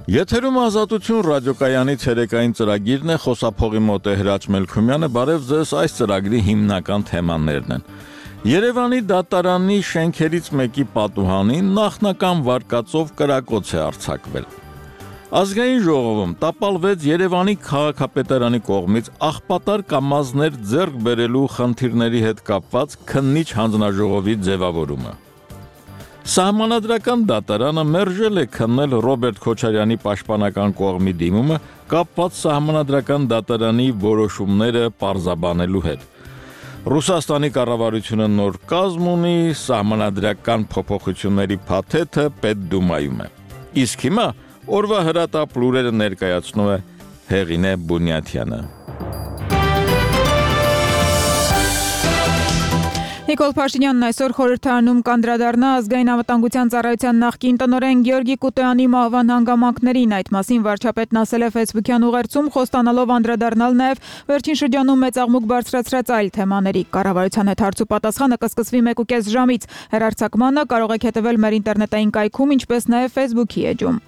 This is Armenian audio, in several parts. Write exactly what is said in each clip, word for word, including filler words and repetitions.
Եթերում Ազատություն ռադիոկայանի ցերեկային ծրագիրն է, խոսափողի մոտ է Հրաչ Մելքումյանը, բարև ձեզ, այս ծրագրի հիմնական թեմաներն են։ Երևանի դատարանի շենքերից մեկի պատուհանին նախնական վարկածով կրակոց է արձակվել։ Ազգային ժողովում տապալվեց Երևանի քաղաքապետարանի կողմից աղբատար կամազներ ձեռք բերելու խնդիրների հետ կապված քննիչ հանձնաժողովի ձևավորումը։ Սահմանադրական դատարանը մերժել է քննել Ռոբերտ Քոչարյանի պաշտպանական կողմի դիմումը կապված սահմանադրական դատարանի որոշումները պարզաբանելու հետ։ Ռուսաստանի կառավարությունը նոր կազմ ունի, սահմանադրական փոփոխությունների փաթեթը Պետդումայում է։ Իսկ հիմա օրվա հրատապ լուրերը ներկայացնում է Հեղինե Բունյաթյանը։ Նիկոլ Փաշինյանն այսօր խորհրդարանում կանդրադառնա ազգային անվտանգության ծառայության նախկին տնօրեն Գեորգի Կուտոյանի մահվան հանգամանքներին։ Այդ մասին վարչապետն ասել է Facebook-յան ուղերձում, խոստանալով անդրադառնալ նաև վերջին շրջանում մեծ աղմուկ բարձրացրած այլ թեմաների։ Կառավարության հետ հարցու պատասխանը կսկսվի մեկուկես ժամից։ Հեռարձակմանը կարող եք հետևել մեր ինտերնետային կայքում, ինչպես նաև Facebook-ի էջում։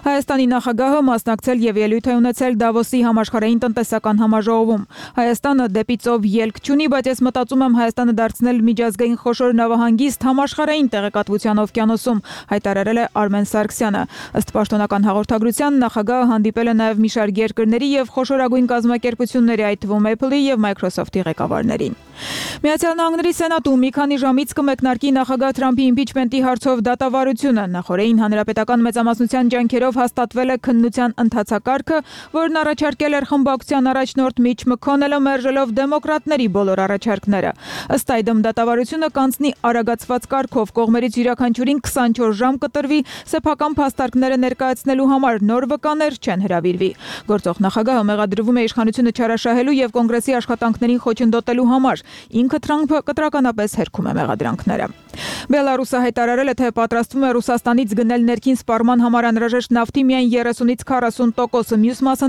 Հայաստանի նախագահը մասնակցել եւ ելույթ է ունեցել Դավոսի համաշխարհային տնտեսական համաժողովում։ Հայաստանը դեպի ծով ելք չունի, բայց ես մտածում եմ Հայաստանը դարձնել միջազգային խոշոր նավահանգիստ համաշխարհային տեղեկատվության օվկիանոսում, հայտարարել է Արմեն Սարգսյանը։ Ըստ պաշտոնական հաղորդագրության նախագահը հանդիպել է նաև մի շարք երկրների եւ խոշորագույն կազմակերպությունների, այդ թվում Apple-ի եւ Microsoft-ի ղեկավարներին։ Միացյալ Նահանգների Սենատում մի քանի ժամից կմեկնարկի նախագահ Թրամփի իմպիչմենտի հարցով դատավարությունը։ Նախորդին հանրապետական մեծամասնության ջանքերով հաստատվել է քննության ընթացակարգը, որն առաջարկել էր խմբակցության առաջնորդ Միչ Մքոնելը, մերժելով դեմոկրատների բոլոր առաջարկները։ Ըստ այդմ դատավարությունը կանցնի արագացված կարգով, կողմերից յուրաքանչյուրին քսանչորս ժամ կտրվի սեփական փաստարկները ներկայացնելու համար, նոր վկաներ չեն հրավիրվի։ Գործող նախագահը մեղադրվում է իշխանությունը չարաշահելու եւ կոնգրեսի աշխատանքներին խոչընդոտելու համար։ Ինքը Թրամփը կտրականապես հերքում է մեղադրանքները։ Բելարուսը հայտարարել է, թե պատրաստվում է Ռուսաստանից գնել ներքին սպառման համար անհրաժեշտ նավթի միայն երեսունից քառասուն տոկոսը, մյուս մասը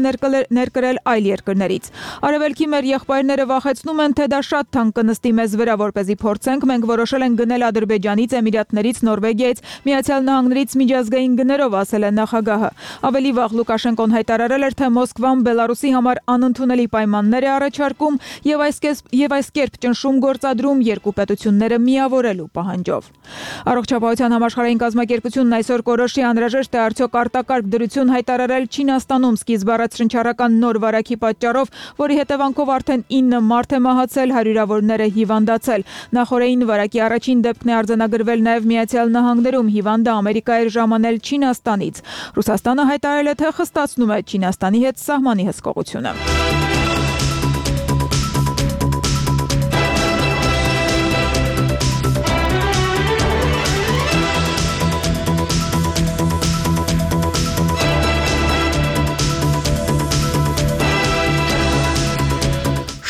ներկրել այլ երկրներից։ Արևելքի մեր եղբայրները վախեցնում են, թե դա շատ թանկ կնստի մեզ վրա, որպեսզի փորձենք, մենք որոշել ենք գնել Ադրբեջանից, Էմիրատներից, Նորվեգիայից, Միացյալ Նահանգներից միջազգային գներով, ասել է նախագահը։ Ավելի վաղ Լուկաշենկոն հայտարարել էր, թե Մոսկվան Բելարուսի համար անընդունելի պայմաններ է առաջարկում եւ այս եւ այս կերպ ճնշում գործադրում երկու պետությունները միավորելու պահանջով։ Առողջապահության համաշխարհային կազմակերպությունն այսօր կորոշի անհրաժեշտ է արդյոք արտակարգ դրություն հայտարարել Չինաստանում սկիզբ առած շնչառական նոր վարակի պատճառով, որի հետևանքով արդեն ինը մարդ է մահացել, հարյուրավորները հիվանդացել։ Նախորդին վարակի առաջին դեպքն է արձանագրվել նաև Միացյալ Նահանգներում, հիվանդը Ամերիկա էր ժամանել Չինաստանից։ Ռուսաստանը հայտարարել է, թե խստացնում է Չինաստանի հետ սահմանի հսկողությունը։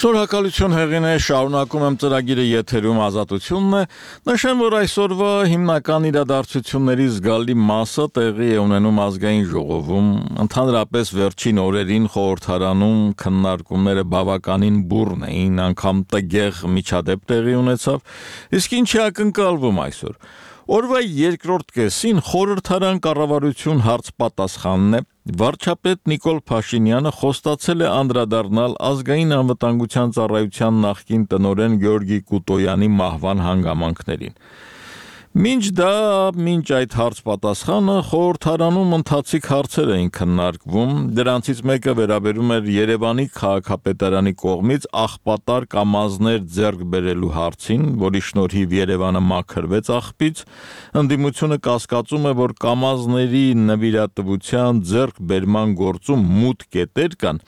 Շնորհակալություն Հեղինե, շարունակում եմ ծրագիրը եթերում Ազատությունն է, նշեմ, որ այսօրվա հիմնական իրադարձությունների զգալի մասը տեղի է ունենում ազգային ժողովում, ընդհանրապես վերջին օրերին խորհրդարանում քննարկումները բավականին բուռն էին, անգամ տգեղ միջադեպ տեղի ունեցավ, իսկ ինչ է ակնկալվում այսօր։ Օրվա երկրորդ կեսին խորհրդարան կառավարություն հարց պատասխանն է, վարչապետ Նիկոլ Փաշինյանը խոստացել է անդրադառնալ ազգային անվտանգության ծառայության նախկին տնօրեն Գեորգի Կուտոյանի մահվան հանգամանքներին։ Մինչ դա, մինչ այդ հարց պատասխանը խորհրդարանում ընթացիկ հարցեր էին քննարկվում, դրանցից մեկը վերաբերում էր Երևանի քաղաքապետարանի կողմից աղբատար կամազներ ձեռք բերելու հարցին, որի շնորհիվ Երևանը մաքրվեց աղբից, ընդդիմությունը կասկածում է, որ կամազների նվիրատվության ձեռքբերման գործում մութ կետեր կան,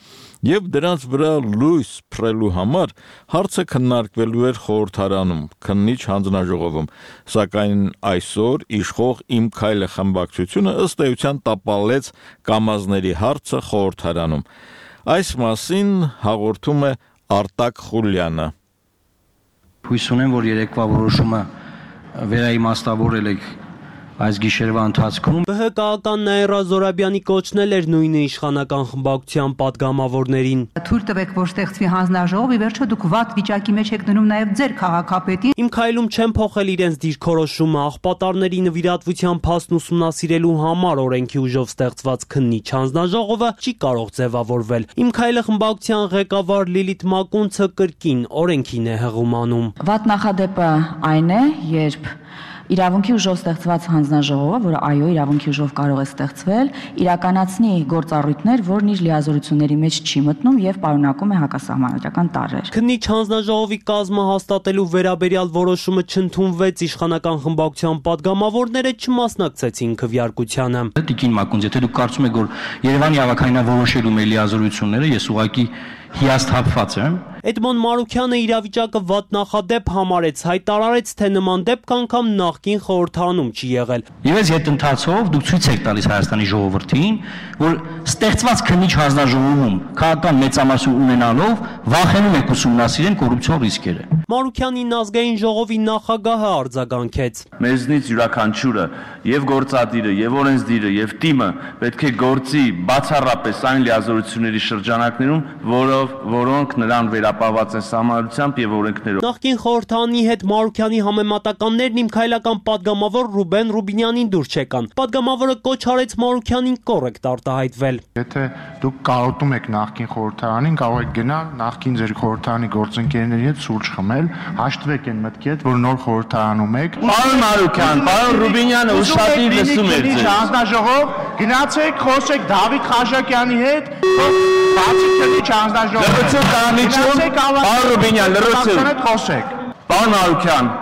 եւ դրանց վրա լույս փռելու համար հարցը քննարկվելու էր խորհրդարանում, քննիչ հանձնաժողովում, սակայն այսօր իշխող Իմ քայլը խմբակցությունը ըստ էության տապալեց կամազների հարցը խորհրդարանում։ Այս մասին հաղորդում է Արտակ Խուլյանը։ Հույս ունեմ, որ երեկվա որոշումը վերաիմաստավորել եք այս գիշերվա ընթացքում ԲՀԿ-ական Նաիրա Զորաբյանի կոչն էր նույնը իշխանական խմբակցության պատգամավորներին։ Թույլ տվեք, որ ստեղծվի հանձնաժողով, ի վերջո դուք վատ վիճակի մեջ եք դնում նաև ձեր քաղաքապետին։ Իմ քայլում չեն փոխել իրենց դիրքորոշումը, աղբատարների նվիրատվության փաստն ուսումնասիրելու համար օրենքի ուժով ստեղծված քննիչ հանձնաժողովը չի կարող ձևավորվել։ Իմ քայլը խմբակցության ղեկավար Լիլիթ Մակունցը կրկին օրենքին է հղում անում։ Վատ նախադեպը այն է, երբ իրավունքի ուժով ստեղծված հանձնաժողովը, որը այո, իրավունքի ուժով կարող է ստեղծվել, իրականացնի գործառույթներ, որն իր լիազորությունների մեջ չի մտնում եւ պարունակում է հակասահմանադրական տարրեր։ Քննիչ հանձնաժողովի կազմը հաստատելու վերաբերյալ որոշումը չընդունվեց, իշխանական խմբակցության պատգամավորները չմասնակցեցին քվեարկությանը։ Տիկին Մակունց, եթե դուք կարծում եք, որ Երևանի ավականավորոշելու մեր լիազորությունները, ես ուղղակի հիասթափված եմ։ Էդմոն Մարուքյանը իրավիճակը վատ նախադեպ համարեց, հայտարարեց, թե նման դեպք անգամ նախկին խորհրդանում չի եղել։ Եվ այս հետընթացով դուք ցույց եք տալիս Հայաստանի ժողովրդին, որ ստեղծված քննիչ հանձնաժողովում քաղաքական մեծամասնություն ունենալով վախենում եք ուսումնասիրեն կոռուպցիոն ռիսկերը։ Մարուքյանին ազգային ժողովի նախագահը արձագանքեց։ Մեզնից յուրաքանչյուրը եւ գործադիրը, եւ օրենսդիրը, եւ թիմը պետք է գործի բացառապես այն լիազորությունների շրջանակներում, որով որոնք նրան վերապահված են սահմանությամբ եւ օրենքներով։ Նախկին խորհրդանի հետ Մարուքյանի համեմատականներն իմ քայլական падգամավոր Ռուբեն Ռուբինյանին դուր չեկան։ Падգամավորը կոչ արեց Մարուքյանին կոռեկտ արտահայտվել։ Եթե դուք կարոտում եք նախկին խորհրդարանին, կարող եք գնալ նախկին ձեր խորհրդարանի գործընկերների հետ սուրճ խմել, հաշտվեք այն մտքի հետ, որ նոր խորհրդարանում եք։ Պարոն Մարուքյան, պարոն Ռուբինյանը ուշադիր լսում էր ձեզ։ Հանձնաժողով, գնացեք, խոսեք Դավիթ Խաչակյանի հետ, բացի քննիչ հանձնաժողով։ Լրացեք կանիչում, պարոն Ռուբինյան, լրացեք։ Խոսեք։ Պարոն Մարուքյան,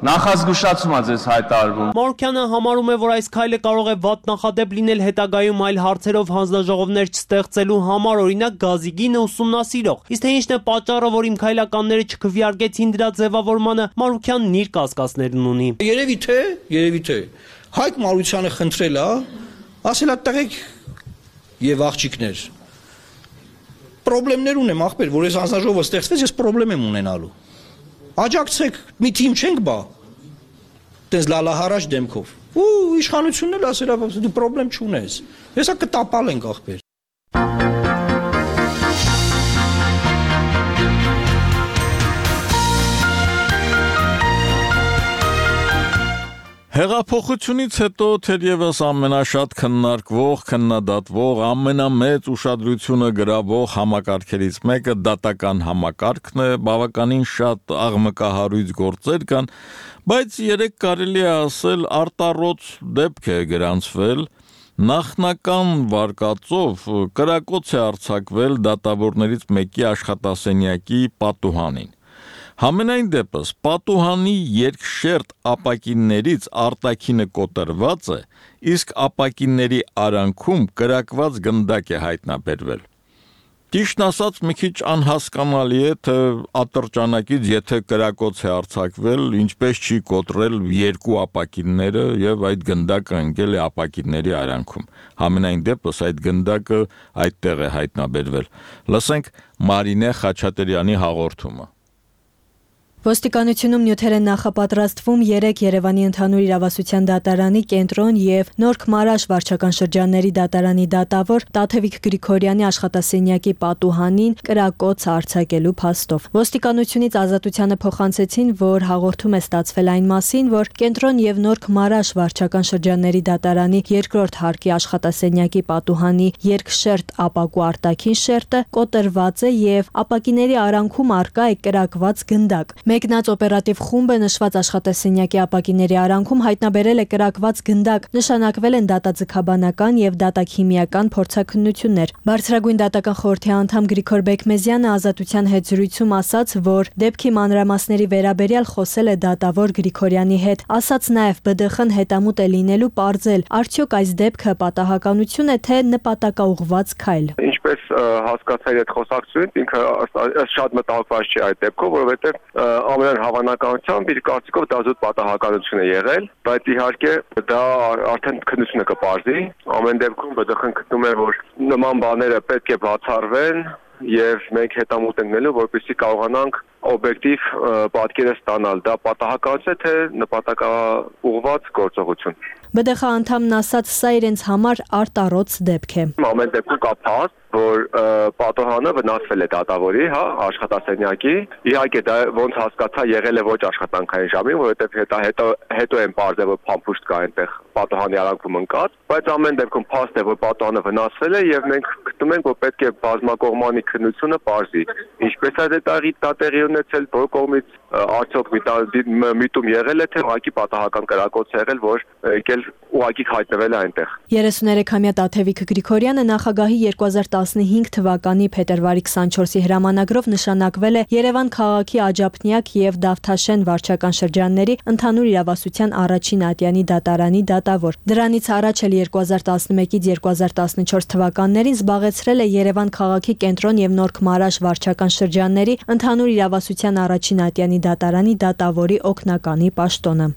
նախազգուշացում է ձեզ հայտարարվում։ Մարուքյանը համարում է, որ այս քայլը կարող է վատ նախադեպ լինել հետագայում այլ հարցերով հանձնաժողովներ չստեղծելու համար, օրինակ գազի գինը ուսումնասիրող։ Իսկ թե ինչն է պատճառը, որ իմ քայլականները չքվեարկեցին դրա ձևավորմանը, Մարուքյանն իր կասկածներն ունի։ Երևի թե, երևի թե Հայկ Մարությանը խնդրել է, ասել է տղեկ եւ աղջիկներ։ Պրոբլեմներ ունեմ, ախպեր, որ այս հանձնաժողովը ստեղծվեց, ես պրոբլեմ եմ ունենալու։ Աջակցեք, մի թիմ չենք բա։ Տես լալահարաշ դեմքով։ Ու իշխանությունն էլ ասել է, դու պրոբլեմ չունես։ Հեսա կտապալ ենք ախպեր։ Հեղափոխությունից հետո թերևս ամենաշատ քննարկվող, քննադատվող, ամենամեծ ուշադրությունը գրավող համակարգերից մեկը դատական համակարգն է, բավականին շատ աղմկահարույց գործեր կան, բայց երեք կարելի է ասել արտառոց դեպք է գրանցվել, նախնական վարկածով կրակոց է արձակվել դատավորներից մեկի աշխատասենյակի պատուհանին։ Համենայն դեպս պատուհանի երկշերտ ապակիններից արտաքինը կոտրված է, իսկ ապակինների արանքում կրակված գնդակ է հայտնաբերվել։ Ճիշտն ասած, մի քիչ անհասկանալի է, թե ատրճանակից եթե կրակոց է արձակվել, ինչպես չի կոտրել երկու ապակինները եւ այդ գնդակը ընկել է ապակինների արանքում։ Համենայն դեպս այդ գնդակը այդտեղ է հայտնաբերվել։ Լսենք Մարինե Խաչատրյանի հաղորդումը։ Ոստիկանությունում նյութեր են նախապատրաստվում երեք Երևանի ընդհանուր իրավասության դատարանի կենտրոն եւ Նորք Մարաշ վարչական շրջանների դատարանի դատավոր Տաթևիկ Գրիգորյանի աշխատասենյակի պատուհանին կրակոց արձակելու փաստով։ Ոստիկանությունից ազատությանը փոխանցեցին, որ հաղորդում է ստացվել այն մասին, որ կենտրոն եւ Նորք Մարաշ վարչական շրջանների դատարանի երկրորդ հարկի աշխատասենյակի պատուհանի երկշերտ ապակու արտաքին շերտը կոտրված է եւ ապակիների արանքում առկա է կրակված գնդակ։ Մեկնած օպերատիվ խումբը նշված աշխատասենյակի ապակիների արանքում հայտնաբերել է կրակված գնդակ, նշանակվել են դատաձգաբանական եւ դատաքիմիական փորձաքննություններ։ Բարձրագույն դատական խորհրդի անդամ Գրիգոր Բեկմեզյանը ազատության հետ զրույցում ասաց, որ դեպքի մանրամասների վերաբերյալ խոսել է դատավոր Գրիգորյանի հետ, ասաց նաեւ ԲԴԽ-ն հետամուտ է լինելու պարզել, արդյոք այս դեպքը պատահականություն է, թե նպատակաուղղված քայլ։ Ինչպես հասկացա այդ խոսակցությունից, ինքը շատ մտահոգված չի այդ դեպքով, որովհետեւ ամենայն հավանականությամբ իր կարծիքով դա զուտ պատահականություն է եղել, բայց իհարկե դա արդեն քննությունը կպարզի։ Ամեն դեպքում ԲԴԽ-ն գտնում է, որ նման բաները պետք է բացառվեն եւ մենք հետամուտ ենք նելու, որպեսզի կարողանանք օբյեկտիվ պատկերը ստանալ, դա պատահականություն է, թե նպատակաուղղված գործողություն։ Բի դե խ անդամն ասաց, սա իրենց համար արտառոց դեպք է։ Ամեն դեպքում կա փաստ, որ պատոհանը վնասվել է դատավորի, հա, աշխատասենյակի։ Իհարկե դա ոնց հասկացա եղել է ոչ աշխատանքային ժամին, որովհետև հետո հետո հետո են բարձր որ փամփուշտ կա այնտեղ պատոհանի արանքում ընկած, բայց ամեն դեպքում փաստ է որ պատոհանը վնասվել է եւ մենք գտնում ենք որ պետք է բազմակողմանի քննությունը բարձի։ Ինչպես է դա տեղի ունեցել, որ կողմից արդյոք միտում եղել է թե ուղղակի պատահական կրակոց է եղել, որ եկել ուղղակի հայտնվել է այնտեղ։ երեսուներեքամյա Տաթևիկ Գրիգորյանը նախագահի երկու հազար տասնհինգ թվականի փետրվարի քսանչորսի հրամանագրով նշանակվել է Երևան քաղաքի Աջափնյակ եւ Դավթաշեն վարչական շրջանների ընդհանուր իրավասության առաջին ատյանի դատարանի դատավոր։ Դրանից առաջ էլ երկու հազար տասնմեկից երկու հազար տասնչորս թվականներին զբաղեցրել է Երևան քաղաքի Կենտրոն եւ Նորք Մարաշ վարչական շրջանների ընդհանուր իրավասության առաջին ատյանի դատարանի դատավորի օգնականի պաշտոնը։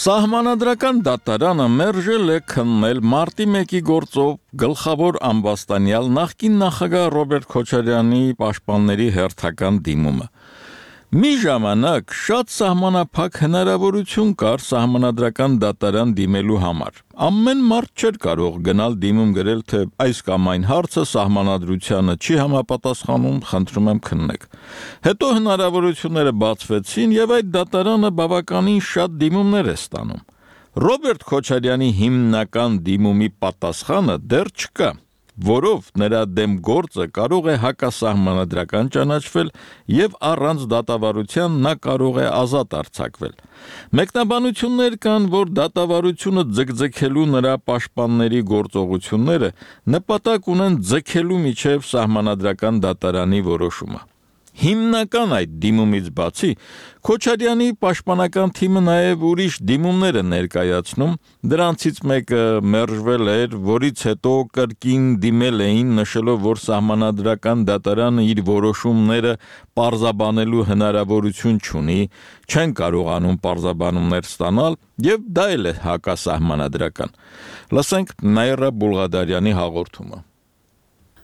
Սահմանադրական դատարանը մերժել է քննել մարտի մեկի գործով գլխավոր ամբաստանյալ նախկին նախագահ Ռոբերտ Քոչարյանի պաշտպանների հերթական դիմումը։ Մի ժամանակ շատ սահմանափակ հնարավորություն կար սահմանադրական դատարան դիմելու համար։ Ամեն մարդ չէր կարող գնալ դիմում գրել, թե այս կամ այն հարցը սահմանադրությանը չի համապատասխանում, խնդրում եմ քննեք։ Հետո հնարավորությունները բացվեցին եւ այդ դատարանը բավականին շատ դիմումներ է ստանում։ Ռոբերտ Քոչարյանի հիմնական դիմումի պատասխանը դեռ չկա, որով նրա դեմ գործը կարող է հակասահմանադրական ճանաչվել եւ առանց դատավարության նա կարող է ազատ արձակվել։ Մեկնաբանություններ կան, որ դատավարությունը ձգձգելու նրա պաշտպանների գործողությունները նպատակ ունեն ձգելու միջև սահմանադրական դատարանի որոշումը։ Հիմնական այդ դիմումից բացի Քոչարյանի պաշտպանական թիմը նաև ուրիշ դիմումներ է ներկայացնում, դրանցից մեկը մերժվել էր, որից հետո կրկին դիմել էին, նշելով, որ սահմանադրական դատարանը իր որոշումները պարզաբանելու հնարավորություն չունի, չեն կարողանում պարզաբանումներ ստանալ, եւ դա էլ է հակասահմանադրական։ Լսենք Նաիրա Բուլղադարյանի հաղորդումը։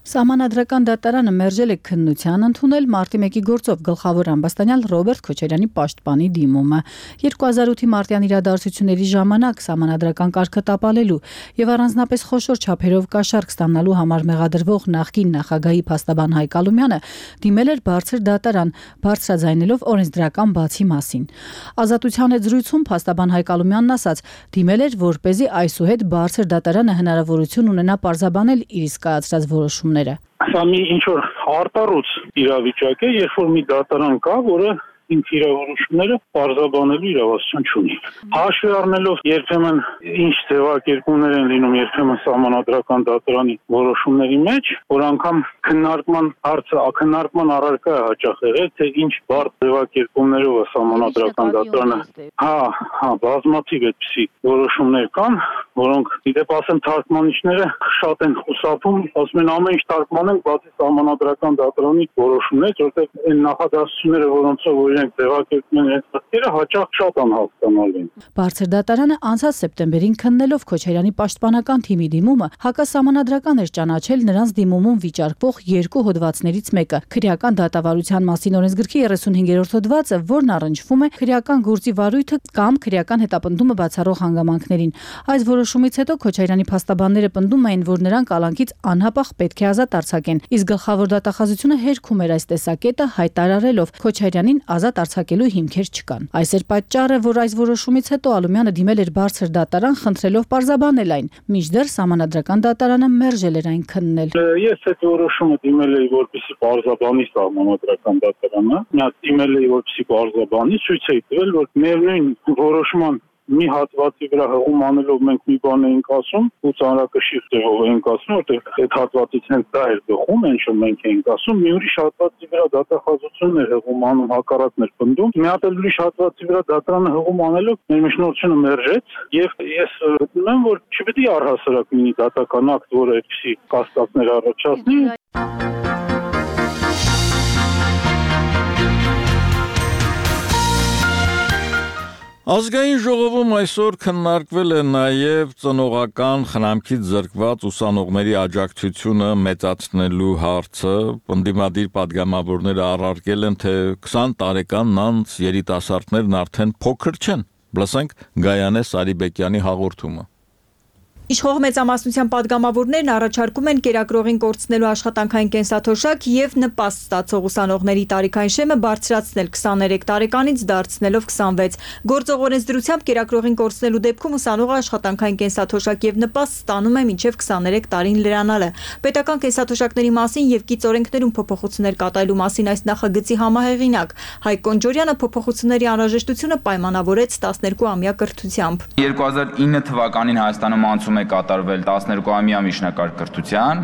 Սահմանադրական դատարանը մերժել է քննության ընդունել մարտի մեկի գործով գլխավոր ամբաստանյալ Ռոբերտ Քոչարյանի պաշտպանի դիմումը։ երկու հազար ութի մարտյան իրադարձությունների ժամանակ սահմանադրական կարգը տապալելու եւ առանձնապես խոշոր չափերով կաշառք ստանալու համար մեղադրվող նախկին նախագահի փաստաբան Հայկ Ալումյանը դիմել էր բարձր դատարան, բարձրաձայնելով օրենսդրական բացի մասին։ Ազատության հետ զրույցում փաստաբան Հայկ Ալումյանն ասաց, դիմել էր, որպեսզի այսուհետ բարձր դատարանը հնարավորություն ունենա պարզաբանել իր իսկ կայացրած որոշումները։ Սա մի ինչ-որ արտառոց իրավիճակ է, երբ որ մի դատարան կա, որը ինձ իրավորոշումները պարզաբանելու իրավասություն չունի։ Հաշվի առնելով երբեմն ինչ ձևակերպումներ են լինում երբեմն սահմանադրական դատարանի որոշումների մեջ, որ անգամ քննարկման հարցը քննարկման առարկա է հաճախ եղել, թե ինչ բարդ ձևակերպումներով է սահմանադրական դատարանը։ Հա, հա, բազմաթիվ այդպիսի որոշումներ կան, որոնք իդեպ ասեմ թարգմանիչները շատ են խուսափում, ասում են ամեն ինչ թարգմանենք, բացի սահմանադրական դատարանի որոշումներից, որտեղ այն նախադասությունները, որոնցով իրենք ձևակերպում են հետաքրքիրը, հաճախ շատ անհասկանալի են։ Բարձր դատարանը անցած սեպտեմբերին քննելով Քոչարյանի պաշտպանական թիմի դիմումը հակասահմանադրական էր ճանաչել նրանց դիմումում վիճարկվող երկու հոդվածներից մեկը՝ քրեական դատավարության մասին օրենսգրքի երեսունհինգերորդ հոդվածը, որն առնչվում է քրեական գործի վարույթը կամ քրեական հետապնդումը բացառող հանգամանքներին։ Այս որոշումից հետո Քոչարյանի փաստաբանները պնդում էին, որ նրան կալանքից անհապաղ պետք է ազատ արձակեն, իսկ գլխավոր դատախազությունը հերքում էր այս տեսակետը, հայտարարելով Քոչարյանին ազատ արձակելու հիմքեր չկան։ Այս էր պատճառը, որ այս որոշումից հետո Ալումյանը դիմել էր բարձր դատարան, խնդրելով պարզաբանել այն, մինչդեռ սահմանադրական դատարանը մերժել էր այն քննել։ Ես այդ որոշումը դիմել էի, որպեսզի պարզաբանի սահմանադրական դատարանը, նա դիմել էի, որպեսզի պարզաբանի, ցույց էի տվել, որ միևնույն որոշման մի հատվածի վրա հղում անելով մենք մի բան էինք ասում, ու ծանրակշիռ ձևով էինք ասում, որտեղ այդ հատվածից հենց դա էր գխում, ինչ որ մենք էինք ասում, մի ուրիշ հատվածի վրա դատախազությունն էր հղում անում, հակառակն էր պնդում, մի հատ էլ ուրիշ հատվածի վրա դատարանը հղում անելով մեր միջնորդությունը մերժեց, եւ ես գտնում եմ, որ չպետք է առհասարակ լինի դատական ակտ, որը այդպիսի կասկածներ առաջացնի։ Ազգային ժողովում այսօր քննարկվել է նաև ծնողական խնամքից զրկված ուսանողների աջակցությունը մեծացնելու հարցը, ընդդիմադիր պատգամավորները առարկել են, թե քսան տարեկան անց երիտասարդներն արդեն փոքր չեն, լսենք Գայանե Սարիբեկյանի հաղորդումը։ Իշխող մեծամասնության պատգամավորներն առաջարկում են կերակրողին կորցնելու աշխատանքային կենսաթոշակ եւ նպաստ ստացող ուսանողների տարիքային շեմը բարձրացնել քսաներեք տարեկանից դարձնելով քսանվեց։ Գործող օրենսդրությամբ կերակրողին կորցնելու դեպքում ուսանողը աշխատանքային կենսաթոշակ եւ նպաստ ստանում է մինչեւ քսաներեք տարին լրանալը։ Պետական կենսաթոշակների մասին եւ կից օրենքներում փոփոխություններ կատարելու մասին այս նախագծի համահեղինակ Հայկ Կոնջորյանը փոփոխությունների անհրաժեշտությունը պայմանավորեց տասներկու ամյա կրթությամբ։ երկու հազար ինը թվականին Հայաստանում անցում է կատարվել տասներկու ամյա միջնակարգ կրթության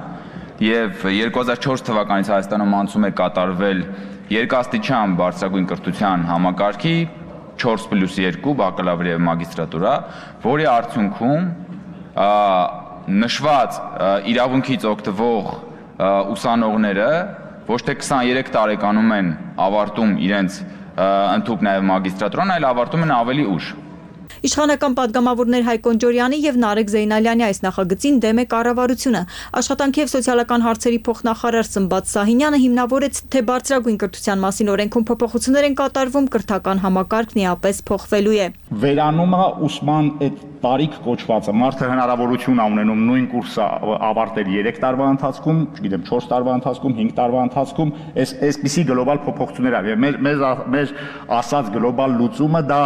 եւ երկու հազար չորս թվականից Հայաստանում անցում է կատարվել երկաստիճան բարձրագույն կրթության համակարգի չորս պլյուս երկու բակալավր եւ մագիստրատուրա, որի արդյունքում նշված իրավունքից օգտվող ուսանողները ոչ թե քսաներեք տարեկանում են ավարտում իրենց ընդհանուր նաեւ մագիստրատուրան, այլ ավարտում են ավելի ուշ։ Իշխանական պատգամավորներ Հայկ Կոնջորյանի եւ Նարեկ Զեյնալյանի այս նախագծին դեմ է կառավարությունը։ Աշխատանքի եւ սոցիալական հարցերի փոխնախարար Սմբատ Սահինյանը հիմնավորեց, թե բարձրագույն կրթության մասին օրենքում փոփոխություններ են կատարվում, կրթական համակարգն իապես փոխվելու է։ Վերանումը ուսման այդ տարիք կոչվածը մարդը հնարավորություն է ունենում նույն կուրսը ավարտել երեք տարվա ընթացքում, չգիտեմ չորս տարվա ընթացքում, հինգ տարվա ընթացքում, այս այսպիսի գլոբալ փոփոխություններ ավ եւ մեր մեր մեր ասած գլոբալ լուծումը դա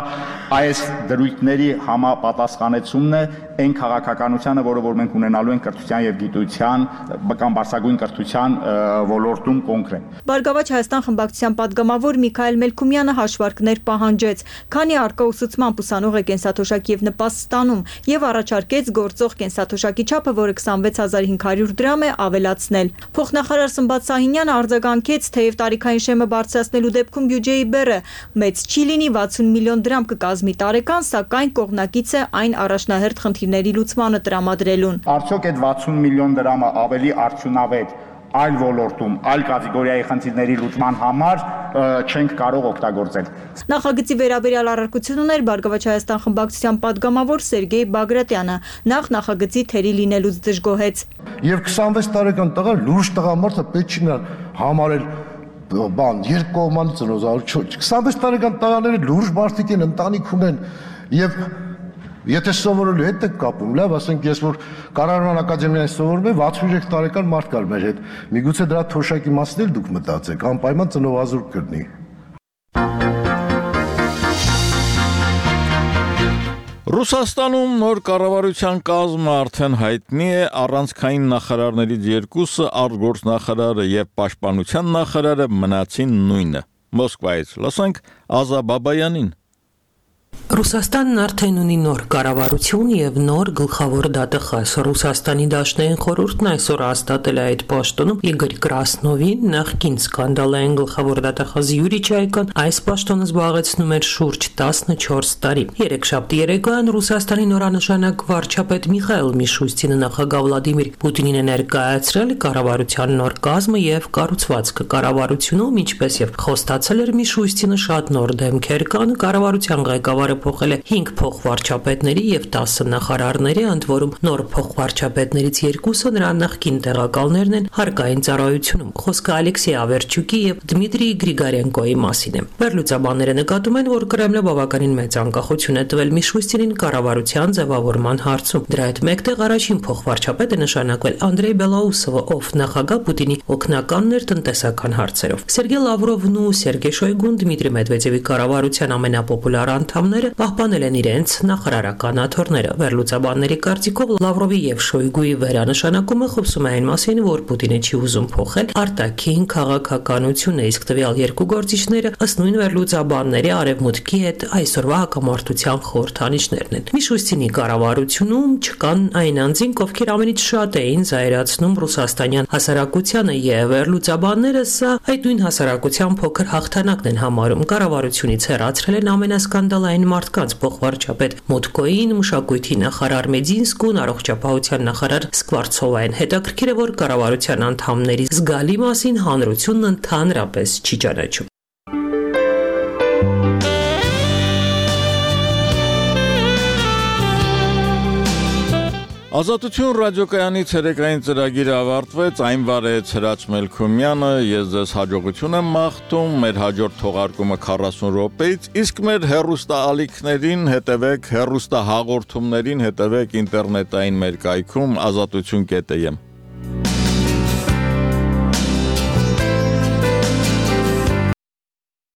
այս դրույթների համապատասխանեցումն է այն քաղաքականությանը, որը որ մենք ունենալու ենք կրթության եւ գիտության կամ բարձրագույն կրթության ոլորտում կոնկրետ։ Բարգավաճ Հայաստան խմբակցության պատգամավոր Միքայել Մելքումյանը հաշվարկներ պահանջեց, քանի առկա ուսուցման ուսանող է կենսաթոշակ եւ նպաստ ստանում եւ առաջարկեց գործող կենսաթոշակի չափը, որը քսանվեց հազար հինգ հարյուր դրամ է, ավելացնել։ Փոխնախարար Սմբատ Սահինյանը արձագանքեց, թեև տարիքային շեմը բարձրացնելու դեպքում բյուջեի բեռը մեծ չի լինի, վաթսուն միլիոն դրամ կկազմի տարեկան, սակայն կողմնակից է այն առաջնահերթ խնդիրների լուծմանը տրամադրելուն։ Արդյոք այդ վաթսուն միլիոն դրամը ավելի արդյունավետ այլ ոլորտում, այլ կատեգորիայի խնդիրների լուծման համար չենք կարող օգտագործել։ Նախագծի վերաբերյալ առարկություն ուներ Բարգավաճ Հայաստան խմբակցության պատգամավոր Սերգեյ Բագրատյանը, նախ նախագծի թերի լինելուց դժգոհեց։ Եվ քսանվեց տարեկան տղա լուրջ տղամարդը պետք չի համարել բան երկու կողմանից ծնոզարու քսանվեց տարեկան տղաները լուրջ մարդիկ են, ընտանիք ունեն եւ եթե սովորելու հետ եք կապում, լավ, ասենք ես որ կառավարման ակադեմիայից սովորում եմ, վաթսունուերեք տարեկան մարդ կար մեր հետ։ Միգուցե դրա թոշակի մասին էլ դուք մտածեք, անպայման ծնողազուրկ կրնի։ Ռուսաստանում նոր կառավարության կազմը արդեն հայտնի է, առանցքային նախարարներից երկուսը, արտգործնախարարը եւ պաշտպանության նախարարը մնացին նույնը։ Մոսկվայից լսենք Ազա Բաբայանին։ Ռուսաստանն արդեն ունի նոր կառավարություն եւ նոր գլխավոր դատախազ։ Ռուսաստանի Դաշնային խորհուրդն այսօր հաստատել է այդ պաշտոնում Իգոր Կրասնովին, նախկին սկանդալային գլխավոր դատախազ Յուրի Չայկան այս պաշտոնը զբաղեցնում էր շուրջ տասնչորս տարի։ Երեքշաբթի երեկոյան Ռուսաստանի նորանշանակ վարչապետ Միխայել Միշուստինը նախագահ Վլադիմիր Պուտինին է ներկայացրել կառավարության նոր կազմը եւ կառուցվածքը կառավարությունում, ինչպես եւ խոստացել էր Միշուստինը, շատ նոր դեմքեր կան կառավարության ղեկավարը փոխել է հինգ փոխվարչապետների եւ տասը նախարարների, ընդ որում նոր փոխվարչապետներից երկուսը նրա նախկին տեղակալներն են հարկային ծառայությունում։ Խոսքը Ալեքսեյ Ավերչուկի եւ Դմիտրի Գրիգարենկոյի մասին է։ Վերլուծաբանները նկատում են, որ Կրեմլը բավականին մեծ անկախություն է տվել Միշուստինին կառավարության ձևավորման հարցում։ Դրա հետ մեկտեղ առաջին փոխվարչապետը նշանակվել Անդրեյ Բելաուսովը, ով նախագահ Պուտինի օգնականն էր տնտեսական հարցերով։ Սերգեյ Լավրովն ու Սերգեյ Շոյգուն Դմիտրի Մեդվեդևի կառավարության ամենապոպուլար անդամները պահպանել են իրենց նախարարական աթոռները։ Վերլուծաբանների կարծիքով Լավրովի եւ Շոյգուի վերանշանակումը խոսում է այն մասին, որ Պուտինը չի ուզում փոխել արտաքին քաղաքականությունը, իսկ տվյալ երկու գործիչները ըստ նույն վերլուծաբանների արևմուտքի հետ այսօրվա հակամարտության խորհրդանիշներն են։ Միշուստինի կառավարությունում չկան այն անձինք, ովքեր ամենից շատ էին զայրացնում ռուսաստանյան հասարակությանը, եւ վերլուծաբանները սա այդ նույն հասարակության փոքր հաղթանակն են համարում։ Կառավարությունից հեռացրել են ամենասկանդալային մարդկանց փոխվարչապետ Մոտկոին, մշակույթի նախարար Մեդինսկուն, առողջապահության նախարար Սկվարցովային։ Հետաքրքիր է, որ կառավարության անդամների զգալի մասին հանրությունն ընդհանրապես չի ճանաչում։ Ազատություն ռադիոկայանի ցերեկային ծրագիրը ավարտվեց, այն վարեց Հրաչ Մելքումյանը, ես ձեզ հաջողություն եմ մաղթում, մեր հաջորդ թողարկումը քառասուն րոպեից, իսկ մեր հեռուստաալիքներին հետևեք, հեռուստահաղորդումներին հետևեք ինտերնետային մեր կայքում ազատություն կետ եմ